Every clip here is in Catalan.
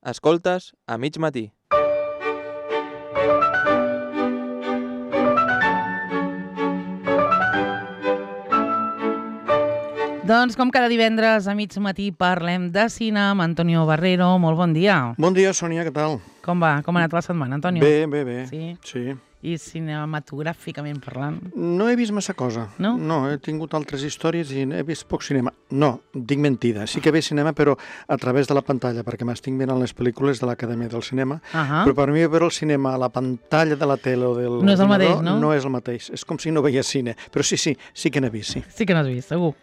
Escoltes a mig matí. Doncs com cada divendres a mig matí parlem de cine amb Antonio Barrero. Molt bon dia. Bon dia, Sònia, què tal? Com va? Com ha anat la setmana, Antonio? Bé. Sí? I cinematogràficament parlant? No he vist massa cosa. No? No, he tingut altres històries i he vist poc cinema. No, dic mentida. Sí que he vist cinema, però a través de la pantalla, perquè m'estic mirant les pel·lícules de l'Acadèmia del Cinema. Però per mi veure el cinema a la pantalla de la tele o del no és el mateix, no? No és el mateix. És com si no veies cine. Però sí que n'he vist, sí. Sí que n'has vist, segur.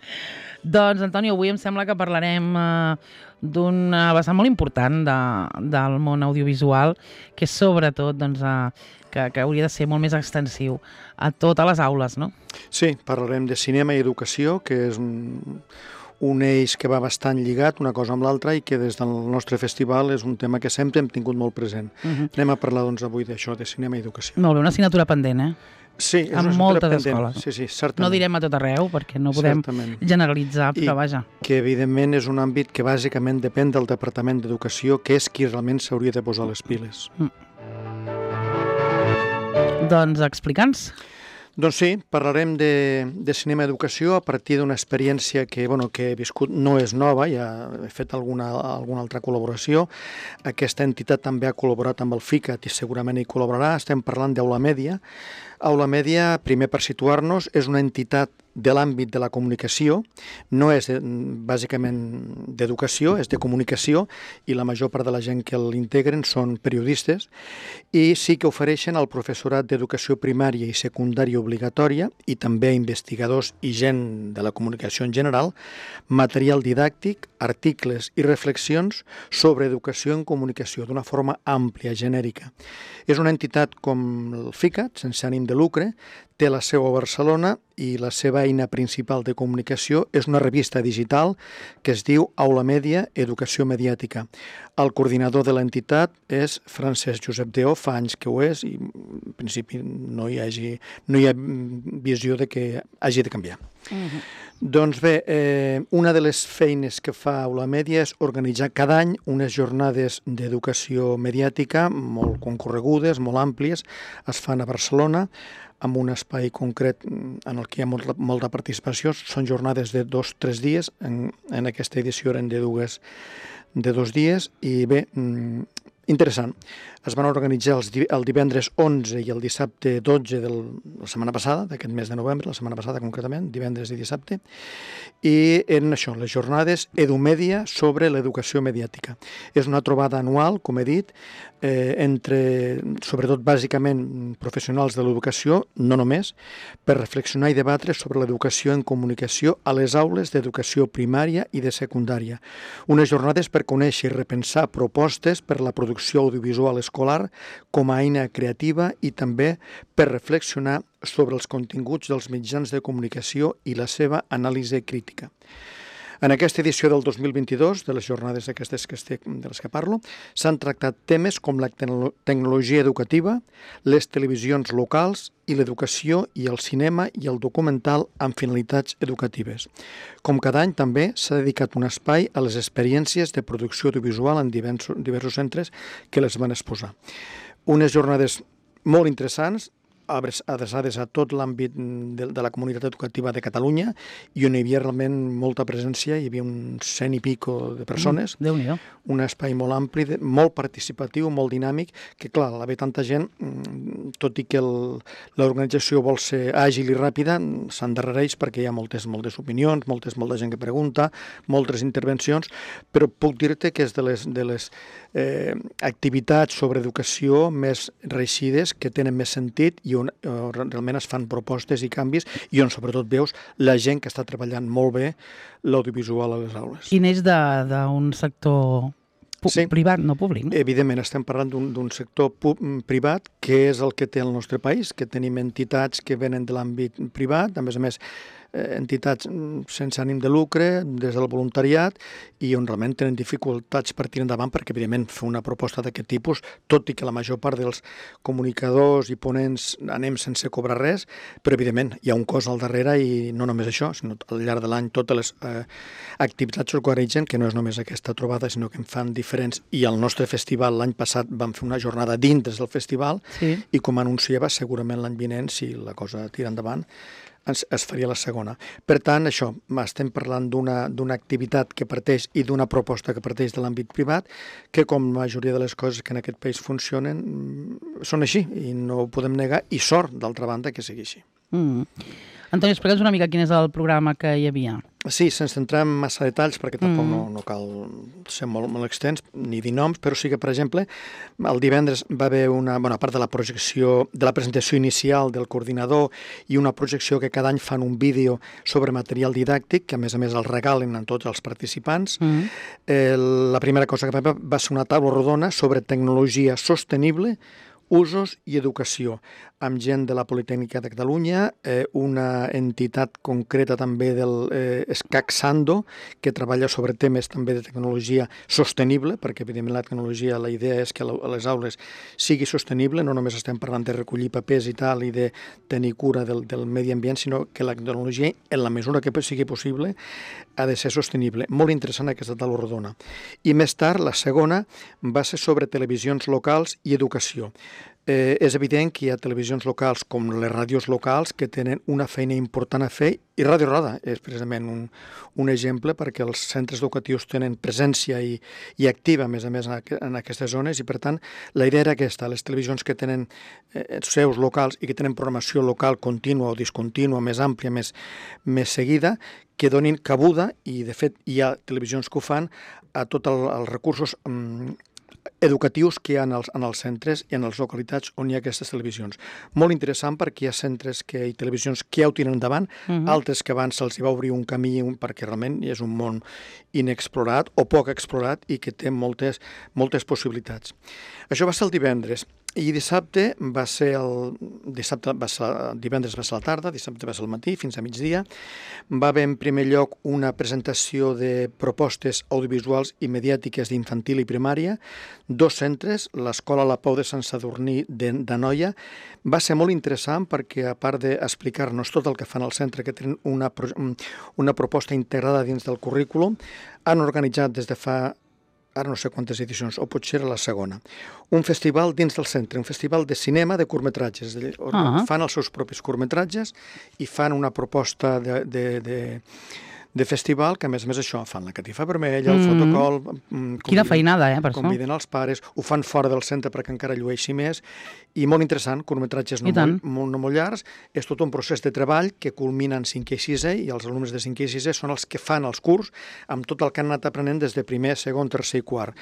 Doncs, Antonio, avui em sembla que parlarem d'un vessant molt important del món audiovisual, que és sobretot que hauria de ser molt més extensiu a totes les aules, no? Sí, parlarem de cinema i educació, que és un eix que va bastant lligat una cosa amb l'altra i que des del nostre festival és un tema que sempre hem tingut molt present. Anem a parlar doncs avui d'això, de cinema i educació. Molt bé, una assignatura pendent, eh? Sí, és en moltes escoles. Sí, certament. No direm a tot arreu, perquè no podem generalitzar, però vaja. Que, evidentment, és un àmbit que bàsicament depèn del Departament d'Educació, que és qui realment s'hauria de posar les piles. Doncs explica'ns. Doncs sí, parlarem de cinema i educació a partir d'una experiència que he viscut, no és nova, ja he fet alguna altra col·laboració. Aquesta entitat també ha col·laborat amb el FICAT i segurament hi col·laborarà. Estem parlant d'Aula Mèdia. Aula Mèdia, primer per situar-nos, és una entitat de l'àmbit de la comunicació, no és bàsicament d'educació, és de comunicació, i la major part de la gent que l'integren són periodistes, i sí que ofereixen al professorat d'educació primària i secundària obligatòria, i també a investigadors i gent de la comunicació en general, material didàctic, articles i reflexions sobre educació en comunicació d'una forma àmplia, genèrica. És una entitat com el FICAT, sense ànim de lucre, té la seu a Barcelona i la seva eina principal de comunicació és una revista digital que es diu Aula Mèdia, Educació Mediàtica. El coordinador de l'entitat és Francesc Josep Deó, fa anys que ho és i en principi no hi ha visió de que hagi de canviar. Doncs bé, una de les feines que fa Aula Mèdia és organitzar cada any unes jornades d'educació mediàtica molt concorregudes, molt àmplies, es fan a Barcelona, amb un espai concret en el que hi ha molta participació. Són jornades de 2 o 3 dies, en aquesta edició eren de 2 dies, i bé, interessant. Es van organitzar el divendres 11 i el dissabte 12 de la setmana passada, d'aquest mes de novembre, la setmana passada concretament, divendres i dissabte, i eren això, les jornades EduMèdia sobre l'educació mediàtica. És una trobada anual, com he dit, entre, sobretot bàsicament, professionals de l'educació, no només, per reflexionar i debatre sobre l'educació en comunicació a les aules d'educació primària i de secundària. Unes jornades per conèixer i repensar propostes per la producció audiovisual escolar com a eina creativa i també per reflexionar sobre els continguts dels mitjans de comunicació i la seva anàlisi crítica. En aquesta edició del 2022, de les jornades aquestes de les que parlo, s'han tractat temes com la tecnologia educativa, les televisions locals i l'educació i el cinema i el documental amb finalitats educatives. Com cada any també s'ha dedicat un espai a les experiències de producció audiovisual en diversos centres que les van exposar. Unes jornades molt interessants, adreçades a tot l'àmbit de la comunitat educativa de Catalunya i on hi havia realment molta presència, hi havia uns 100 i pico de persones, Déu-n'hi-do. Un espai molt ampli, molt participatiu, molt dinàmic, que clar, al haver tanta gent, tot i que l'organització vol ser àgil i ràpida, s'endarrereix perquè hi ha moltes opinions, molta gent que pregunta, moltes intervencions, però puc dir-te que és de les activitats sobre educació més reixides, que tenen més sentit i on realment es fan propostes i canvis i on sobretot veus la gent que està treballant molt bé l'audiovisual a les aules. I neix d'un sector privat, no públic, no? Evidentment, estem parlant d'un sector privat que és el que té el nostre país, que tenim entitats que venen de l'àmbit privat, a més, entitats sense ànim de lucre, des del voluntariat, i on realment tenen dificultats per tirar endavant, perquè, evidentment, fer una proposta d'aquest tipus, tot i que la major part dels comunicadors i ponents anem sense cobrar res, però, evidentment, hi ha un cost al darrere i no només això, sinó al llarg de l'any totes les activitats s'organitzen, que no és només aquesta trobada, sinó que en fan diferents. I al nostre festival, l'any passat, vam fer una jornada dintre del festival, i com anunciava, segurament l'any vinent, si la cosa tira endavant, es faria la segona. Per tant, això, estem parlant d'una activitat que parteix i d'una proposta que parteix de l'àmbit privat, que com la majoria de les coses que en aquest país funcionen, són així, i no ho podem negar, i sort, d'altra banda, que sigui així. Antoni, explica'ns una mica quin és el programa que hi havia. Sí, sense entrar en massa detalls, perquè tampoc no cal ser molt extens, ni dir noms, però sí que, per exemple, el divendres va haver a part de la projecció, de la presentació inicial del coordinador i una projecció que cada any fan un vídeo sobre material didàctic, que a més el regalen a tots els participants. La primera cosa que va ser una taula rodona sobre tecnologia sostenible, usos i educació, amb gent de la Politècnica de Catalunya, una entitat concreta també del SCAC Sando, que treballa sobre temes també de tecnologia sostenible, perquè evidentment la tecnologia, la idea és que a les aules sigui sostenible, no només estem parlant de recollir papers i tal, i de tenir cura del medi ambient, sinó que la tecnologia, en la mesura que sigui possible, ha de ser sostenible. Molt interessant aquesta taula rodona. I més tard, la segona, va ser sobre televisions locals i educació. És evident que hi ha televisions locals com les ràdios locals que tenen una feina important a fer, i Ràdio Roda és precisament un exemple, perquè els centres educatius tenen presència i activa, a més, en aquestes zones, i per tant la idea era aquesta: les televisions que tenen seus locals i que tenen programació local contínua o discontínua, més àmplia, més seguida, que donin cabuda, i de fet hi ha televisions que ho fan, a tots els recursos educatius que hi ha en els centres i en les localitats on hi ha aquestes televisions. Molt interessant, perquè hi ha centres i televisions que ja ho tiren endavant, altres que abans se'ls va obrir un camí, perquè realment és un món inexplorat o poc explorat i que té moltes possibilitats. Això va ser el divendres. I dissabte va ser divendres va ser a la tarda, dissabte va ser al matí, fins a migdia. Va haver en primer lloc una presentació de propostes audiovisuals i mediàtiques d'infantil i primària, 2 centres, l'Escola La Pau de Sant Sadurní d'Anoia. Va ser molt interessant perquè, a part d'explicar-nos tot el que fan al centre, que tenen una proposta integrada dins del currículum, han organitzat des de fa, ara no sé quantes edicions, o potser era la segona, un festival dins del centre, un festival de cinema de curtmetratges. Fan els seus propis curtmetratges i fan una proposta de festival, que a més això, fan la catifa vermella, el fotocol... Quina feinada, per això. Conviden els pares, ho fan fora del centre perquè encara llueixi més, i molt interessant, curtmetratges no molt llargs, és tot un procés de treball que culmina en 5è i 6è, i els alumnes de 5è i 6è són els que fan els curs amb tot el que han anat aprenent des de primer, segon, tercer i quart.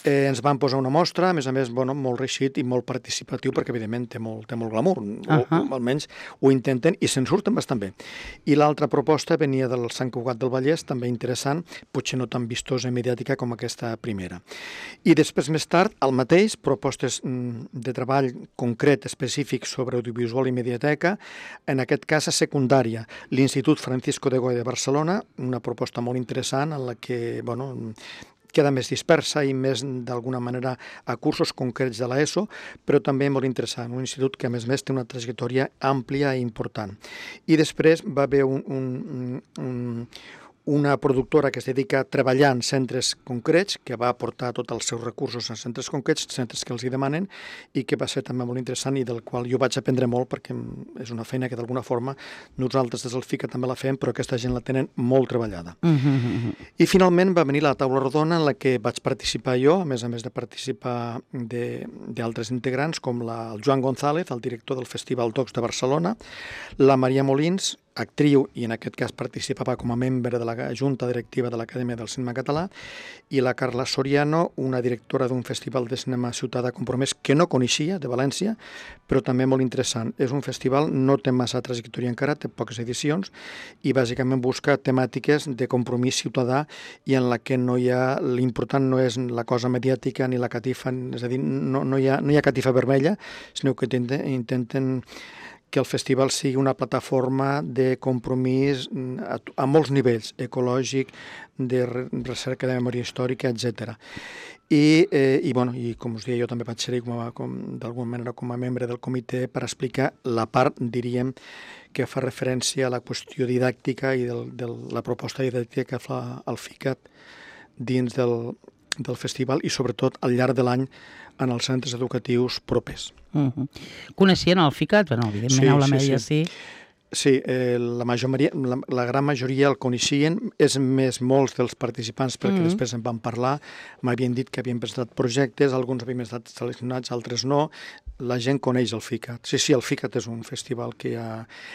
Ens van posar una mostra, a més, molt reeixit i molt participatiu, perquè evidentment té molt glamour, o almenys ho intenten i se'n surten bastant bé. I l'altra proposta venia del Sant Cugat del Vallès, també interessant, potser no tan vistosa i mediàtica com aquesta primera. I després, més tard, al mateix, propostes de treball concret, específic sobre audiovisual i mediateca, en aquest cas a secundària, l'Institut Francisco de Goya de Barcelona, una proposta molt interessant en la que, queda més dispersa i més, d'alguna manera, a cursos concrets de l'ESO, però també molt interessant, un institut que, a més, té una trajectòria àmplia i important. I després va haver una productora que es dedica a treballar en centres concrets, que va aportar tots els seus recursos en centres concrets, centres que els hi demanen, i que va ser també molt interessant i del qual jo vaig aprendre molt, perquè és una feina que d'alguna forma nosaltres des del FICA també la fem, però aquesta gent la tenen molt treballada. I finalment va venir la taula rodona en la que vaig participar jo, a més de participar d'altres integrants, com el Joan González, el director del Festival Docs de Barcelona, la Maria Molins, actriu, i en aquest cas participava com a membre de la Junta Directiva de l'Acadèmia del Cinema Català, i la Carla Soriano, una directora d'un festival de cinema Ciutadà Compromès que no coneixia, de València, però també molt interessant. És un festival, no té massa trajectòria encara, té poques edicions, i bàsicament busca temàtiques de compromís ciutadà i en la que l'important no és la cosa mediàtica ni la catifa, és a dir, no hi ha catifa vermella, sinó que intenten que el festival sigui una plataforma de compromís a molts nivells, ecològic, de recerca de memòria històrica, etc. I com us deia, jo també vaig ser-hi d'alguna manera com a membre del comitè per explicar la part, diríem, que fa referència a la qüestió didàctica i de la proposta didàctica que fa el FICAT dins del festival i sobretot al llarg de l'any en els centres educatius propers. Coneixien el FICAT? Bueno, evidentment, Aula Mèdia sí. Sí, la gran majoria el coneixien, és més molts dels participants, perquè després en van parlar, m'havien dit que havien presentat projectes, alguns havien estat seleccionats, altres no, la gent coneix el FICAT. Sí, el FICAT és un festival que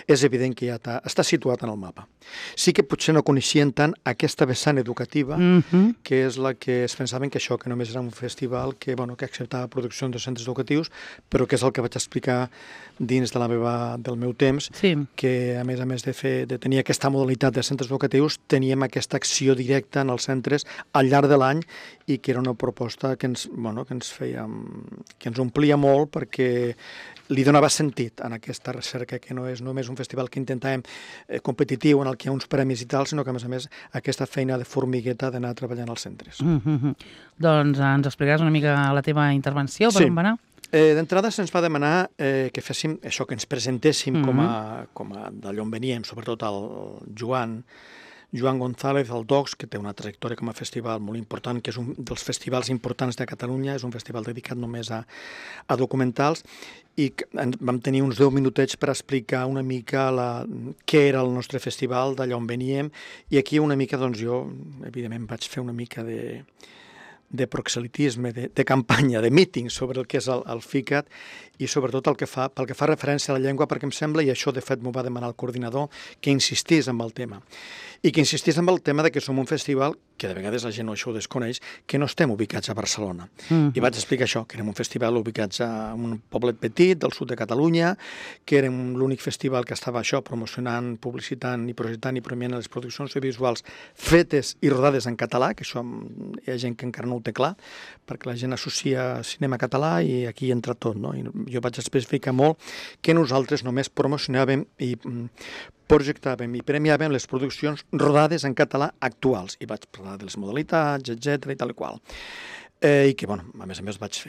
és evident que ja està situat en el mapa. Sí que potser no coneixien tant aquesta vessant educativa, que és la que es pensaven que això, que només era un festival que acceptava produccions de centres educatius, però que és el que vaig explicar dins del meu temps, que a més de tenir aquesta modalitat de centres educatius, teníem aquesta acció directa en els centres al llarg de l'any i que era una proposta que ens omplia molt perquè li donava sentit en aquesta recerca, que no és només un festival que intentàvem competitiu en el que hi ha uns premis i tal, sinó que a més aquesta feina de formigueta d'anar treballant als centres. Doncs ens explicaràs una mica la teva intervenció, per on va anar? D'entrada se'ns va demanar que féssim això, que ens presentéssim com a d'allò on veníem, sobretot el Joan González, el DOCS, que té una trajectòria com a festival molt important, que és un dels festivals importants de Catalunya, és un festival dedicat només a documentals, i vam tenir uns 10 minutets per explicar una mica què era el nostre festival, d'allà on veníem, i aquí una mica, doncs jo, evidentment, vaig fer una mica de proxelitisme, de campanya, de míting sobre el que és el FICAT i sobretot pel que fa referència a la llengua, perquè em sembla, i això de fet m'ho va demanar el coordinador, que insistís en el tema. I que insistís en el tema que som un festival, que de vegades la gent això ho desconeix, que no estem ubicats a Barcelona. I vaig explicar això, que érem un festival ubicats a un poblet petit del sud de Catalunya, que érem l'únic festival que estava promocionant, publicitant i projectant i premiant les produccions audiovisuals fetes i rodades en català, que això hi ha gent que encara no ho té clar, perquè la gent associa cinema català i aquí entra tot, no? I jo vaig especificar molt que nosaltres només promocionàvem i projectàvem i premiàvem les produccions rodades en català actuals. I vaig parlar de les modalitats, etc i tal i qual. I que, a més vaig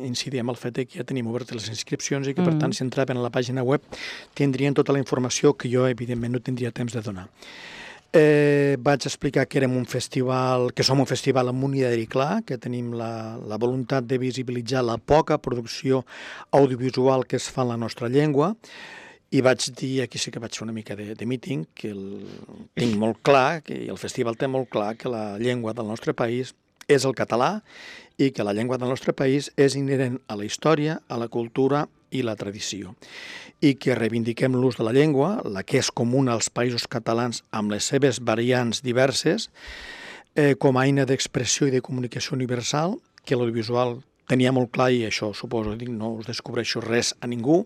incidir en el fet que ja tenim obertes les inscripcions i que, per tant, si entraven a la pàgina web tindrien tota la informació que jo, evidentment, no tindria temps de donar. Vaig explicar que érem un festival, que som un festival amb un ideari clar, que tenim la voluntat de visibilitzar la poca producció audiovisual que es fa en la nostra llengua, i vaig dir, aquí sí que vaig fer una mica de míting, que tinc molt clar, que el festival té molt clar que la llengua del nostre país és el català i que la llengua del nostre país és inherent a la història, a la cultura i la tradició. I que reivindiquem l'ús de la llengua, la que és comuna als països catalans amb les seves variants diverses, com a eina d'expressió i de comunicació universal, que l'audiovisual tenia molt clar, i això suposo, no us descobreixo res a ningú,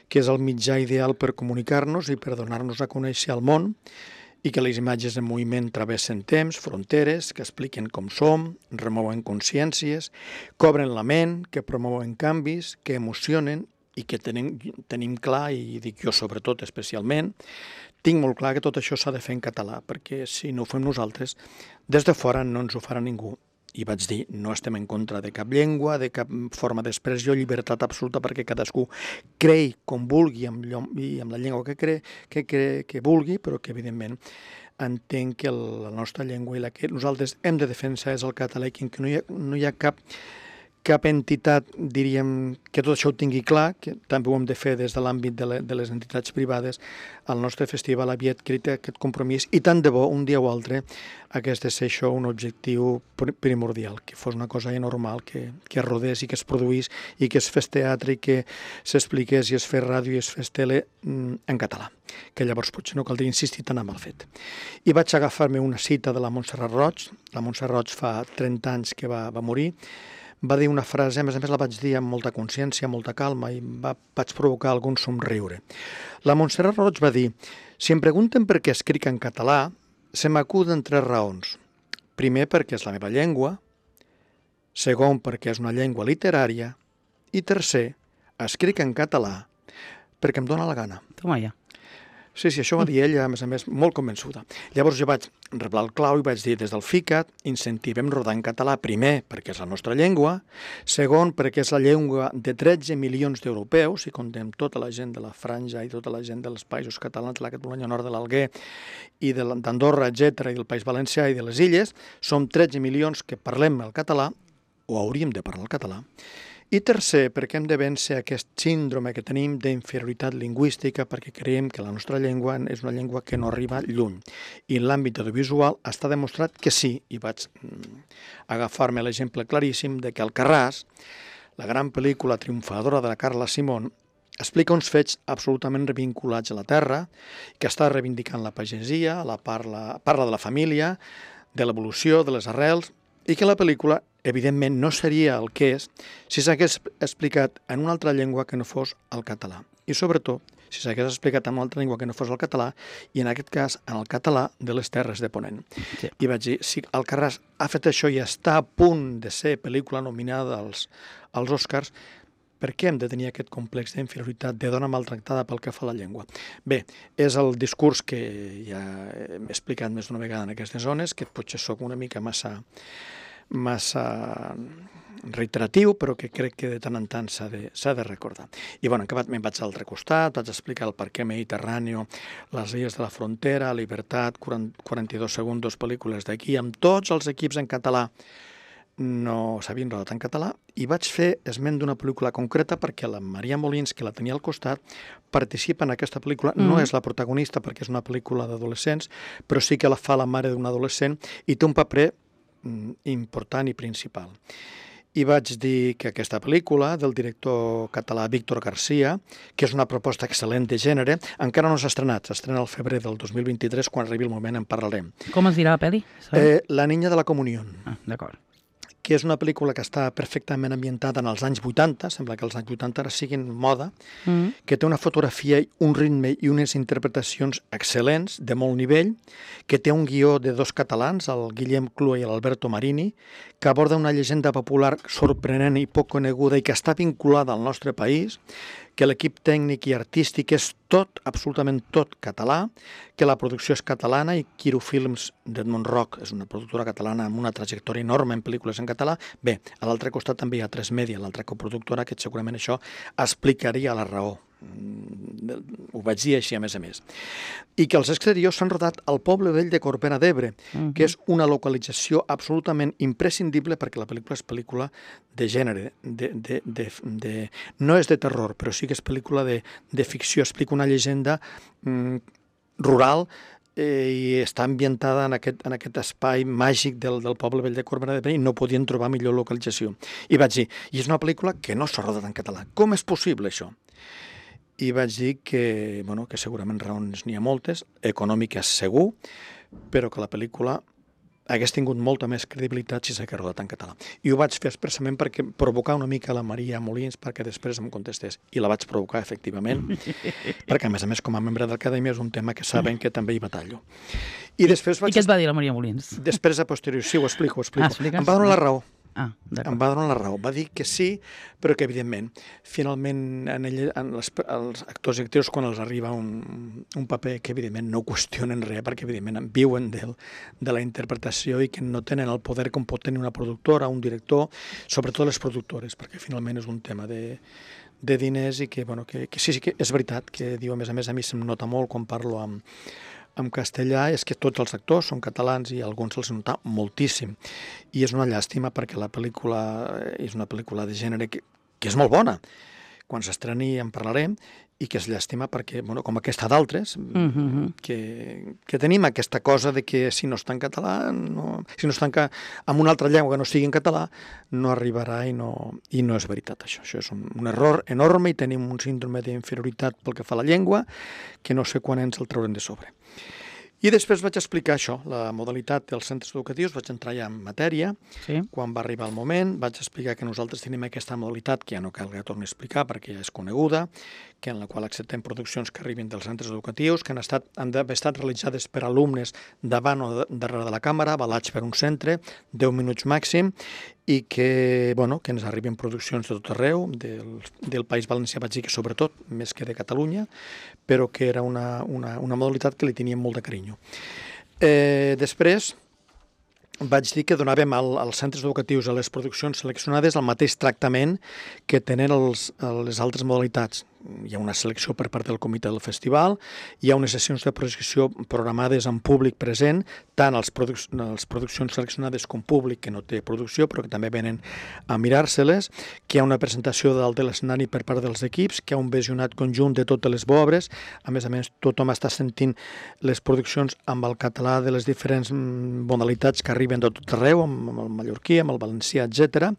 que és el mitjà ideal per comunicar-nos i per donar-nos a conèixer al món, i que les imatges en moviment travessen temps, fronteres, que expliquen com som, remouen consciències, cobren la ment, que promouen canvis, que emocionen i que tenim clar, i dic jo sobretot especialment, tinc molt clar que tot això s'ha de fer en català, perquè si no ho fem nosaltres, des de fora no ens ho farà ningú. I vaig dir, no estem en contra de cap llengua, de cap forma d'expressió, llibertat absoluta perquè cadascú creï com vulgui i amb la llengua que vulgui, però que evidentment entenc que la nostra llengua i la que nosaltres hem de defensar és el català, i que no hi ha cap entitat, diríem, que tot això ho tingui clar, que també ho hem de fer des de l'àmbit de les entitats privades. El nostre festival havia adquirit aquest compromís i tant de bo, un dia o altre, hagués de ser això un objectiu primordial, que fos una cosa normal, que es rodés i que es produís i que es fes teatre i que s'expliqués i es fes ràdio i es fes tele en català, que llavors potser no caldria insistir tant en el fet. I vaig agafar-me una cita de la Montserrat Roig. La Montserrat Roig fa 30 anys que va morir. Va dir una frase, a més la vaig dir amb molta consciència, amb molta calma, i vaig provocar algun somriure. La Montserrat Roig va dir: si em pregunten per què escric en català, se m'acuden 3 raons. Primer, perquè és la meva llengua. Segon, perquè és una llengua literària. I tercer, escric en català perquè em dóna la gana. Toma ja. Sí, això va dir ella, a més, molt convençuda. Llavors jo vaig reblar el clau i vaig dir, des del FICAT incentivem rodar en català, primer, perquè és la nostra llengua, segon, perquè és la llengua de 13 milions d'europeus, si contem tota la gent de la Franja i tota la gent dels països catalans, de la Catalunya Nord de l'Alguer i d'Andorra, etc., i del País Valencià i de les Illes, som 13 milions que parlem el català, o hauríem de parlar el català. I tercer, perquè hem de vèncer aquest síndrome que tenim d'inferioritat lingüística perquè creiem que la nostra llengua és una llengua que no arriba lluny. I en l'àmbit audiovisual està demostrat que sí, i vaig agafar-me l'exemple claríssim de que Alcarràs, la gran pel·lícula triomfadora de la Carla Simón, explica uns fets absolutament revinculats a la terra, que està reivindicant la pagesia, parla de la família, de l'evolució, de les arrels, i que la pel·lícula, evidentment, no seria el que és si s'hagués explicat en una altra llengua que no fos el català. I, sobretot, si s'hagués explicat en una altra llengua que no fos el català, i en aquest cas en el català de les Terres de Ponent. Sí. I vaig dir, si Alcarràs ha fet això i està a punt de ser pel·lícula nominada als Oscars, per què hem de tenir aquest complex d'inferioritat de dona maltractada pel que fa a la llengua? Bé, és el discurs que ja he explicat més d'una vegada en aquestes zones, que potser sóc una mica massa reiteratiu, però que crec que de tant en tant s'ha de recordar. I bueno, acabat me'n vaig a l'altre costat, vaig explicar el perquè Mediterrani, les illes de la frontera, Libertat, 42 segundos, pel·lícules d'aquí, amb tots els equips en català, no s'havien rodat en català, i vaig fer esment d'una pel·lícula concreta perquè la Maria Molins, que la tenia al costat, participa en aquesta pel·lícula. No és la protagonista perquè és una pel·lícula d'adolescents, però sí que la fa la mare d'un adolescent i té un paper important i principal. I vaig dir que aquesta pel·lícula del director català Víctor García, que és una proposta excel·lent de gènere, encara no s'ha estrenat, s'estrena al febrer del 2023, quan arribi el moment en parlarem. Com es dirà la pel·li? La niña de la comunión. D'acord. Que és una pel·lícula que està perfectament ambientada en els anys 80, sembla que els anys 80 ara siguin moda, que té una fotografia, un ritme i unes interpretacions excel·lents, de molt nivell, que té un guió de dos catalans, el Guillem Clua i l'Alberto Marini, que aborda una llegenda popular sorprenent i poc coneguda i que està vinculada al nostre país, que l'equip tècnic i artístic és tot, absolutament tot català, que la producció és catalana i Quiro Films d'Edmond Roc és una productora catalana amb una trajectòria enorme en pel·lícules en català. Bé, a l'altre costat també hi ha 3Media, l'altra coproductora, que segurament això explicaria la raó. Ho vaig dir així, a més. I que els exteriors s'han rodat al poble vell de Corbera d'Ebre, que és una localització absolutament imprescindible perquè la pel·lícula és pel·lícula de gènere, no és de terror, però sí que és pel·lícula de ficció, explica una llegenda rural i està ambientada en aquest espai màgic del poble vell de Corbera d'Ebre i no podien trobar millor localització. I vaig dir, i és una pel·lícula que no s'ha rodat en català. Com és possible això? I vaig dir que segurament raons n'hi ha moltes, econòmiques segur, però que la pel·lícula hagués tingut molta més credibilitat si s'hagués rodat en català. I ho vaig fer expressament perquè provocar una mica la Maria Molins perquè després em contestés. I la vaig provocar, efectivament, perquè, a més, com a membre de l'Acadèmia és un tema que saben que també hi batallo. I després I què et va dir la Maria Molins? Després, a posteriori, sí, ho explico. Expliques? Em va donar la raó. Em va donar la raó. Va dir que sí, però que, evidentment, finalment, els actors i actrius, quan els arriba un paper que, evidentment, no qüestionen res, perquè, evidentment, viuen de la interpretació i que no tenen el poder com pot tenir una productora, un director, sobretot les productores, perquè, finalment, és un tema de diners i que sí que és veritat, que diu, a més, a mi se'm nota molt quan parlo en castellà, és que tots els actors són catalans i alguns se'ls nota moltíssim. I és una llàstima perquè la pel·lícula és una pel·lícula de gènere que és molt bona. Quan s'estreni en parlarem, i que és llàstima perquè, com aquesta d'altres, que tenim aquesta cosa de que si no està en català, si no està en una altra llengua que no sigui en català, no arribarà i no és veritat això. Això és un error enorme i tenim un síndrome d'inferioritat pel que fa a la llengua que no sé quan ens el traurem de sobre. I després vaig explicar això, la modalitat dels centres educatius, vaig entrar ja en matèria, quan va arribar el moment, vaig explicar que nosaltres tenim aquesta modalitat, que ja no cal que torni a explicar perquè ja és coneguda, que en la qual acceptem produccions que arribin dels centres educatius, que han d'haver estat realitzades per alumnes davant o darrere de la càmera, avalats per un centre, 10 minuts màxim, i que ens arriben produccions de tot arreu, del País Valencià, vaig dir que sobretot, més que de Catalunya, però que era una modalitat que li teníem molt de carinyo. Després vaig dir que donàvem als centres educatius, a les produccions seleccionades, el mateix tractament que tenen les altres modalitats. Hi ha una selecció per part del comitè del festival, hi ha unes sessions de projecció programades en públic present, tant les produccions seleccionades com públic que no té producció, però que també venen a mirar-se-les, que hi ha una presentació dalt de l'escenari per part dels equips, que hi ha un visionat conjunt de totes les obres, a més, tothom està sentint les produccions amb el català de les diferents modalitats que arriben de tot arreu, amb el mallorquí, amb el valencià, etc.,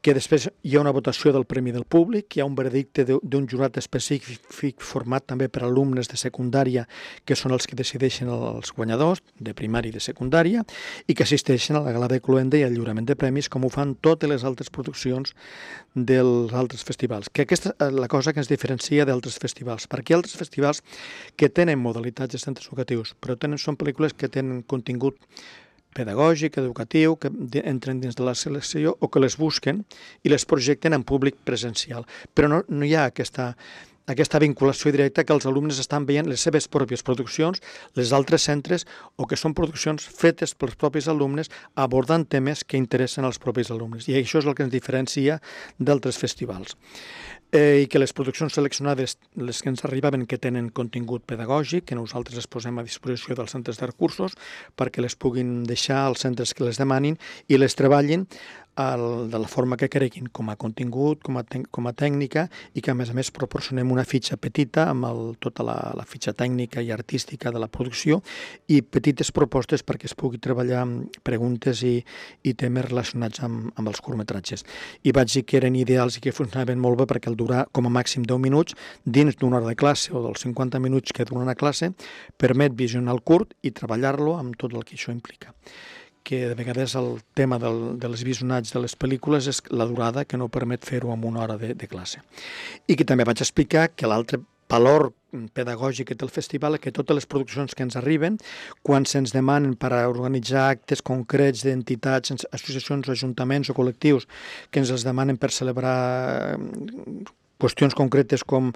que després hi ha una votació del Premi del Públic, hi ha un veredicte d'un jurat específic format també per alumnes de secundària, que són els que decideixen els guanyadors de primària i de secundària, i que assisteixen a la gala de cloenda i al lliurament de premis, com ho fan totes les altres produccions dels altres festivals. Que aquesta és la cosa que ens diferencia d'altres festivals, perquè hi ha altres festivals que tenen modalitats de centres educatius, però són pel·lícules que tenen contingut pedagògic, educatiu, que entren dins de la selecció o que les busquen i les projecten en públic presencial. Però no hi ha aquesta vinculació directa que els alumnes estan veient les seves pròpies produccions, les altres centres, o que són produccions fetes pels propis alumnes abordant temes que interessen als propis alumnes. I això és el que ens diferencia d'altres festivals. I que les produccions seleccionades, les que ens arribaven que tenen contingut pedagògic, que nosaltres les posem a disposició dels centres de recursos perquè les puguin deixar als centres que les demanin i les treballin de la forma que creguin, com a contingut, com a tècnica, i que a més proporcionem una fitxa petita amb tota la fitxa tècnica i artística de la producció i petites propostes perquè es pugui treballar preguntes i temes relacionats amb els curtmetratges. I vaig dir que eren ideals i que funcionaven molt bé perquè el durar com a màxim 10 minuts dins d'una hora de classe o dels 50 minuts que dura una classe permet visionar el curt i treballar-lo amb tot el que això implica. Que de vegades el tema dels visionats de les pel·lícules és la durada, que no permet fer-ho en una hora de classe. I que també vaig explicar que l'altre valor pedagògic que té el festival és que totes les produccions que ens arriben, quan se'ns demanen per a organitzar actes concrets d'entitats, associacions, ajuntaments o col·lectius, que ens els demanen per celebrar qüestions concretes com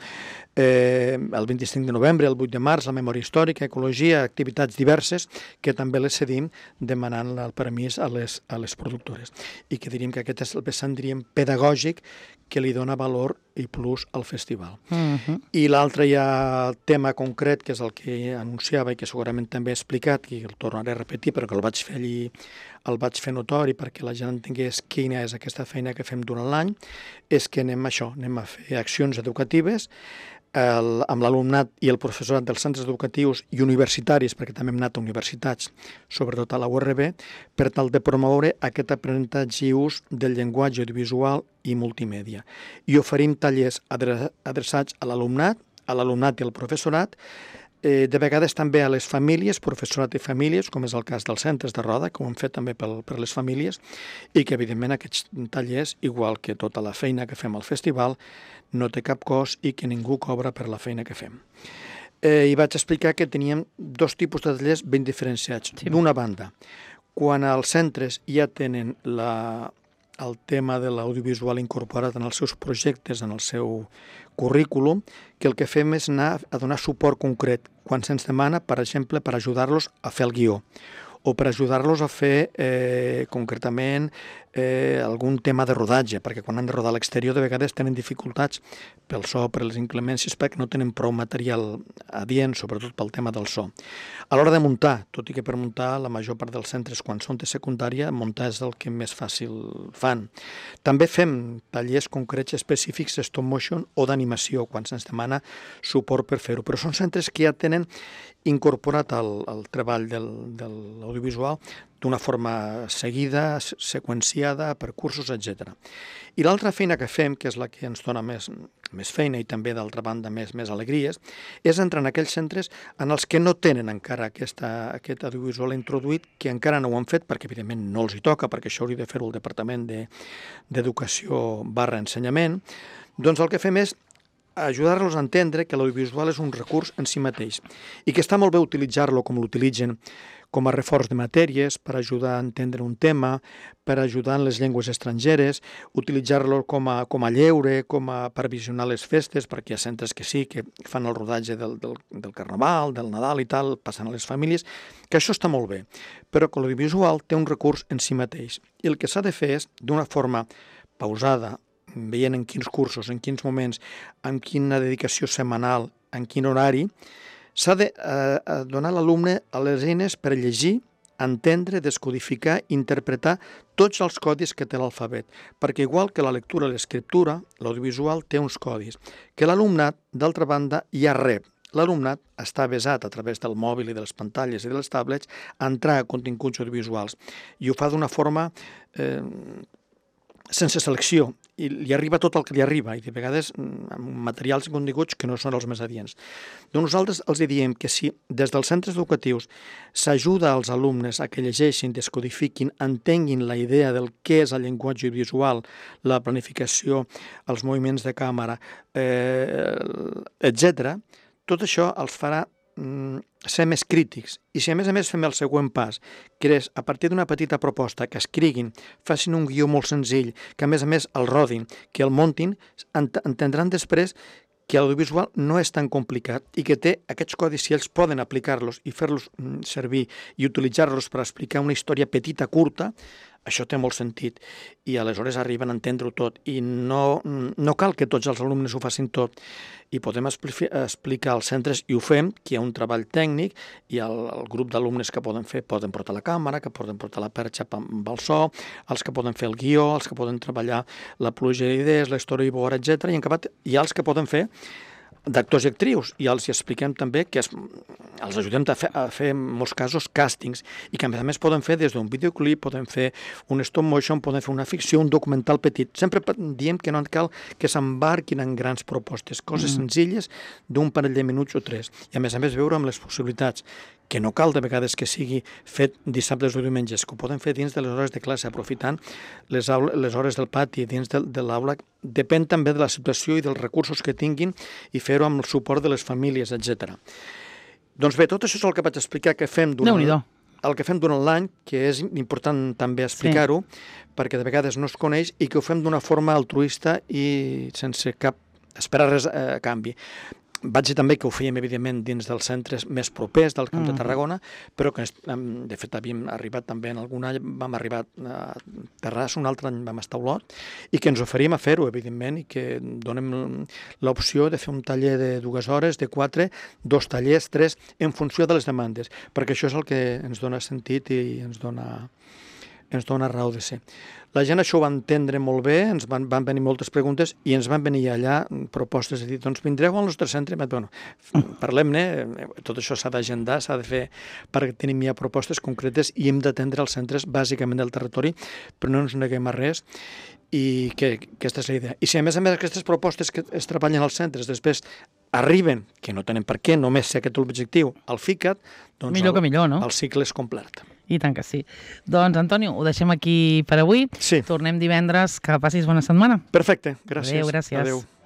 el 25 de novembre, el 8 de març, la memòria històrica, ecologia, activitats diverses, que també les cedim demanant el permís a les productores. I que diríem que aquest és el vessant, diríem, pedagògic que li dona valor i plus al festival. I l'altre ja tema concret, que és el que anunciava i que segurament també he explicat, i el tornaré a repetir, però que el vaig fer allí, el vaig fer notori perquè la gent entengués quina és aquesta feina que fem durant l'any, és que anem a fer accions educatives amb l'alumnat i el professorat dels centres educatius i universitaris, perquè també hem anat a universitats, sobretot a la URB, per tal de promoure aquest aprenentatge i ús del llenguatge audiovisual i multimèdia. I oferim tallers adreçats a l'alumnat i al professorat, de vegades també a les famílies, professorat i famílies, com és el cas dels centres de Roda, que ho hem fet també per les famílies, i que evidentment aquests tallers, igual que tota la feina que fem al festival, no té cap cost i que ningú cobra per la feina que fem. I vaig explicar que teníem dos tipus de tallers ben diferenciats. Sí. D'una banda, quan els centres ja tenen el tema de l'audiovisual incorporat en els seus projectes, en el seu currículum, que el que fem és anar a donar suport concret quan se'ns demana, per exemple, per ajudar-los a fer el guió o per ajudar-los a fer concretament algun tema de rodatge, perquè quan han de rodar a l'exterior de vegades tenen dificultats pel so, per les inclemències, perquè no tenen prou material adient, sobretot pel tema del so. A l'hora de muntar, tot i que per muntar la major part dels centres quan són de secundària, muntar és el que més fàcil fan. També fem tallers concrets específics de stop motion o d'animació, quan se'ns demana suport per fer-ho, però són centres que ja tenen incorporat el treball de l'audiovisual d'una forma seguida, seqüenciada, per cursos, etc. I l'altra feina que fem, que és la que ens dona més feina i també, d'altra banda, més alegries, és entrar en aquells centres en els que no tenen encara aquest audiovisual introduït, que encara no ho han fet, perquè evidentment no els hi toca, perquè això hauria de fer-ho el Departament d'Educació/Ensenyament. Doncs el que fem és ajudar-los a entendre que l'audiovisual és un recurs en si mateix i que està molt bé utilitzar-lo com l'utilitzen com a reforç de matèries, per ajudar a entendre un tema, per ajudar en les llengües estrangeres, utilitzar-lo com a lleure, per visionar les festes, perquè hi ha centres que sí, que fan el rodatge del Carnaval, del Nadal i tal, passant a les famílies, que això està molt bé, però que l'audiovisual té un recurs en si mateix. I el que s'ha de fer és, d'una forma pausada, veient en quins cursos, en quins moments, amb quina dedicació setmanal, en quin horari, s'ha de donar a l'alumne a les eines per llegir, entendre, descodificar, interpretar tots els codis que té l'alfabet, perquè igual que la lectura i l'escriptura, l'audiovisual té uns codis, que l'alumnat, d'altra banda, ja rep. L'alumnat està avesat a través del mòbil i de les pantalles i de les tablets a entrar a continguts audiovisuals i ho fa d'una forma sense selecció, i li arriba tot el que li arriba, i de vegades amb materials i continguts que no són els més adients. Doncs nosaltres els diem que si des dels centres educatius s'ajuda als alumnes a que llegeixin, descodifiquin, entenguin la idea del què és el llenguatge audiovisual, la planificació, els moviments de càmera, etc., tot això els farà ser més crítics. I si a més fem el següent pas, que és a partir d'una petita proposta, que escriguin, facin un guió molt senzill, que a més el rodin, que el muntin, entendran després que l'audiovisual no és tan complicat i que té aquests codis, si ells poden aplicar-los i fer-los servir i utilitzar-los per explicar una història petita, curta, això té molt sentit i aleshores arriben a entendre-ho tot i no cal que tots els alumnes ho facin tot i podem explicar als centres, i ho fem, que hi ha un treball tècnic i el grup d'alumnes que poden fer, poden portar la càmera, que poden portar la perxa amb el so, els que poden fer el guió, els que poden treballar la pluja d'idees, la storyboard, etc. I en acabat hi ha els que poden fer d'actors i actrius, i els expliquem també que els ajudem a fer en molts casos càstings, i que a més poden fer des d'un videoclip, poden fer un stop motion, poden fer una ficció, un documental petit. Sempre diem que no cal que s'embarquin en grans propostes, coses senzilles d'un parell de minuts o tres, i a més veure amb les possibilitats, que no cal de vegades que sigui fet dissabtes o diumenges, que ho poden fer dins de les hores de classe, aprofitant les hores del pati, dins de l'aula. Depèn també de la situació i dels recursos que tinguin i fer-ho amb el suport de les famílies, etc. Doncs bé, tot això és el que vaig explicar que fem durant l'any, que és important també explicar-ho, perquè de vegades no es coneix i que ho fem d'una forma altruista i sense esperar res a canvi. Vaig dir també que ho fèiem, evidentment, dins dels centres més propers del Camp de Tarragona, però que, de fet, havíem arribat també en algun any, vam arribar a Terrassa, un altre any vam estar a Olot, i que ens oferim a fer-ho, evidentment, i que donem l'opció de fer un taller de 2 hores, de 4, 2 tallers, 3, en funció de les demandes, perquè això és el que ens dona sentit i ens dona raó de ser. La gent això ho va entendre molt bé, ens van venir moltes preguntes i ens van venir allà propostes de dir, doncs vindreu al nostre centre? Bueno, parlem-ne, tot això s'ha d'agendar, s'ha de fer perquè tenim ja propostes concretes i hem d'atendre els centres bàsicament del territori, però no ens neguem a res i que aquesta és la idea. I si a més aquestes propostes que es treballen als centres després arriben, que no tenen per què, només ser aquest l'objectiu, al FICAT, doncs millor que millor, no? El cicle és complet. I tant que sí. Doncs, Antonio, ho deixem aquí per avui. Sí. Tornem divendres. Que passis bona setmana. Perfecte, gràcies. Adéu, gràcies. Adéu.